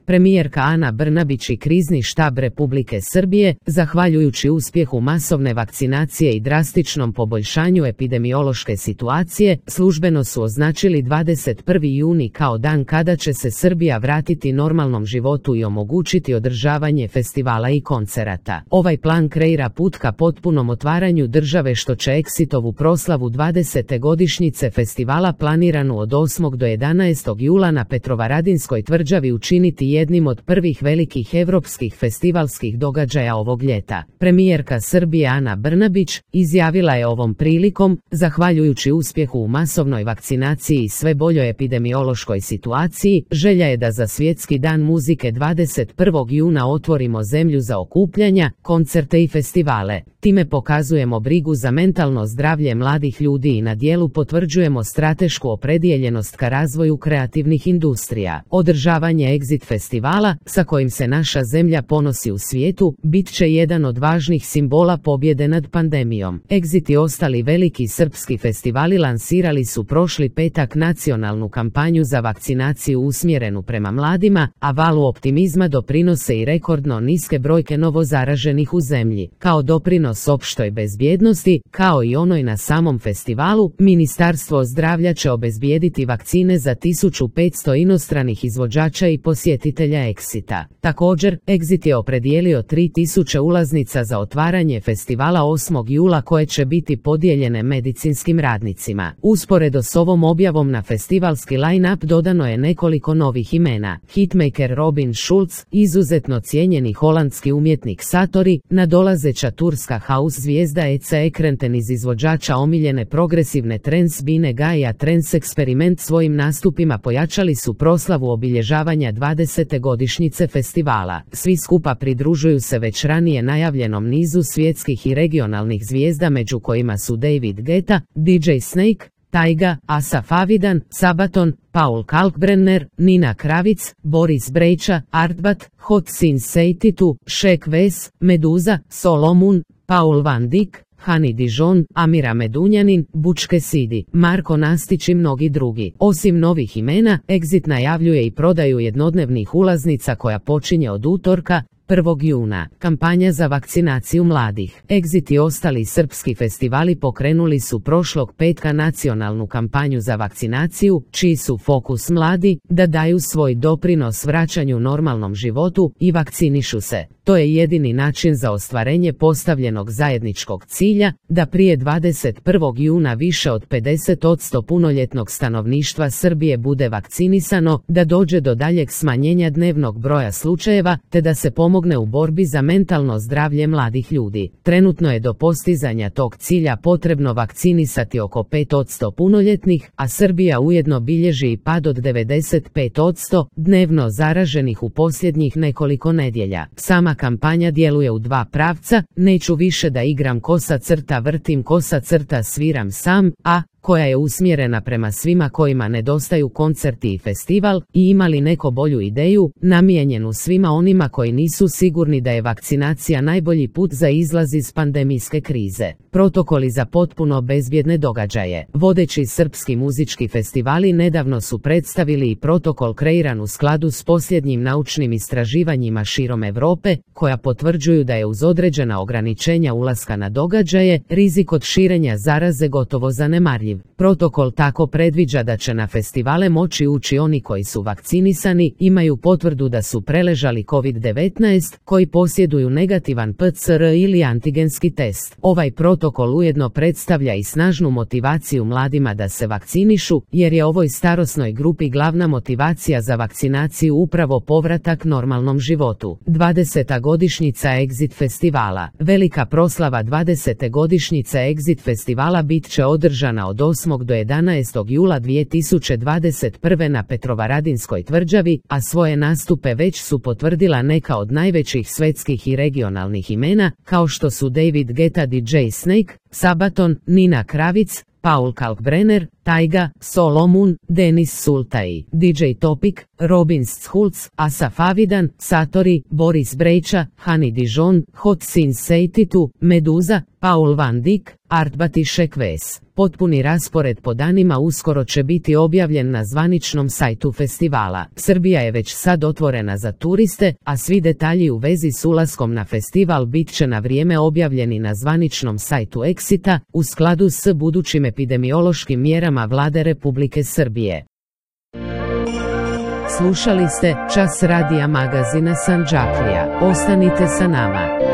Premijerka Ana Brnabić i krizni štab Republike Srbije, zahvaljujući uspjehu masovne vakcinacije i drastičnom poboljšanju epidemiološke situacije, službeno su označili 21. juni kao dan kada će se Srbija vratiti normalnom životu i omogućiti održavanje festivala i koncerata. Ovaj plan kreira put ka potpunom otvaranju države, što će Exitovu proslavu 20. godišnjice festivala planiranu od 8. do 11. jula na Petrovaradinskoj tvrđavi učiniti jednim od prvih velikih evropskih festivalskih događaja ovog ljeta. Premijerka Srbije Ana Brnabić izjavila je ovom prilikom: zahvaljujući uspjehu u masovnoj vakcinaciji i sve boljoj epidemiološkoj situaciji, želja je da za Svjetski dan muzike 21. juna otvorimo zemlju za okupljanja, koncerte i festivale. Time pokazujemo brigu za mentalno zdravlje mladih ljudi i na djelu potvrđujemo stratešku opredijeljenost ka razvoju kreativnih industrija. Održavanje Exit festivala, sa kojim se naša zemlja ponosi u svijetu, bit će jedan od važnih simbola pobjede nad pandemijom. Exit i ostali veliki srpski festivali lansirali su prošli petak nacionalnu kampanju za vakcinaciju usmjerenu prema mladima, a valu optimizma doprinose i rekordno niske brojke novozaraženih u zemlji. Kao doprinos opštoj bezbjednosti, kao i onoj na samom festivalu, Ministarstvo zdravlja će obezbijediti vakcine za 1500 inostranih izvođača i posjetitelja Exita. Također, Exit je opredijelio 3000 ulaznica za otvaranje festivala 8. jula koje će biti podijeljene medicinskim radnicima. Usporedo s ovom objavom na festivalski line-up dodano je nekoliko novih imena: hitmaker Robin Schulz, izuzetno cijenjeni holandski umjetnik Satori, nadolazeća turska house zvijezda Ece Ekrenten iz izvođača omiljene progresivne trance Bine Gaia. Trance Experiment svojim nastupima pojačali su proslavu obilježavanja 20. godišnjice festivala. Svi skupa pridružuju se već ranije najavljenom nizu svjetskih i regionalnih zvijezda, među kojima su David Guetta, DJ Snake, Tyga, Asaf Avidan, Sabaton, Paul Kalkbrenner, Nina Kravic, Boris Brejča, Artbat, Hot Since 82, Shek Wes, Meduza, Solomon, Paul Van Dyk, Hani Dijon, Amira Medunjanin, Bučke Sidi, Marko Nastić i mnogi drugi. Osim novih imena, Exit najavljuje i prodaju jednodnevnih ulaznica koja počinje od utorka, 1. juna. Kampanja za vakcinaciju mladih. Exit i ostali srpski festivali pokrenuli su prošlog petka nacionalnu kampanju za vakcinaciju, čiji su fokus mladi, da daju svoj doprinos vraćanju normalnom životu i vakcinišu se. To je jedini način za ostvarenje postavljenog zajedničkog cilja, da prije 21. juna više od 50% punoljetnog stanovništva Srbije bude vakcinisano, da dođe do daljeg smanjenja dnevnog broja slučajeva, te da se pomogne u borbi za mentalno zdravlje mladih ljudi. Trenutno je do postizanja tog cilja potrebno vakcinisati oko 5% punoljetnih, a Srbija ujedno bilježi i pad od 95% dnevno zaraženih u posljednjih nekoliko nedjelja. Sama kampanja djeluje u dva pravca: neću više da igram kosa crta vrtim kosa crta sviram sam, a koja je usmjerena prema svima kojima nedostaju koncerti i festival, i imali neko bolju ideju, namijenjenu svima onima koji nisu sigurni da je vakcinacija najbolji put za izlaz iz pandemijske krize. Protokoli za potpuno bezbjedne događaje. Vodeći srpski muzički festivali nedavno su predstavili i protokol kreiran u skladu s posljednjim naučnim istraživanjima širom Europe, koja potvrđuju da je uz određena ograničenja ulaska na događaje, rizik od širenja zaraze gotovo zanemarljiv. Protokol tako predviđa da će na festivale moći ući oni koji su vakcinisani, imaju potvrdu da su preležali COVID-19, koji posjeduju negativan PCR ili antigenski test. Ovaj protokol ujedno predstavlja i snažnu motivaciju mladima da se vakcinišu, jer je ovoj starosnoj grupi glavna motivacija za vakcinaciju upravo povratak normalnom životu. 20. godišnjica Exit festivala. Velika proslava 20. godišnjice Exit festivala bit će održana od 8. do 11. jula 2021. na Petrovaradinskoj tvrđavi, a svoje nastupe već su potvrdila neka od najvećih svetskih i regionalnih imena, kao što su David Guetta, DJ Snake, Sabaton, Nina Kravic, Paul Kalkbrenner, Taiga, Solomon, Denis Sultai, DJ Topic, Robin Schulz, Asaf Avidan, Satori, Boris Brejča, Hani Dijon, Hot Since 82, Meduza, Paul Van Dyk, Artbatišek Ves. Potpuni raspored po danima uskoro će biti objavljen na zvaničnom sajtu festivala. Srbija je već sad otvorena za turiste, a svi detalji u vezi s ulaskom na festival bit će na vrijeme objavljeni na zvaničnom sajtu Exita, u skladu s budućim epidemiološkim mjerama Vlade Republike Srbije. Slušali ste Čas radija magazina Sandžaklija. Ostanite sa nama.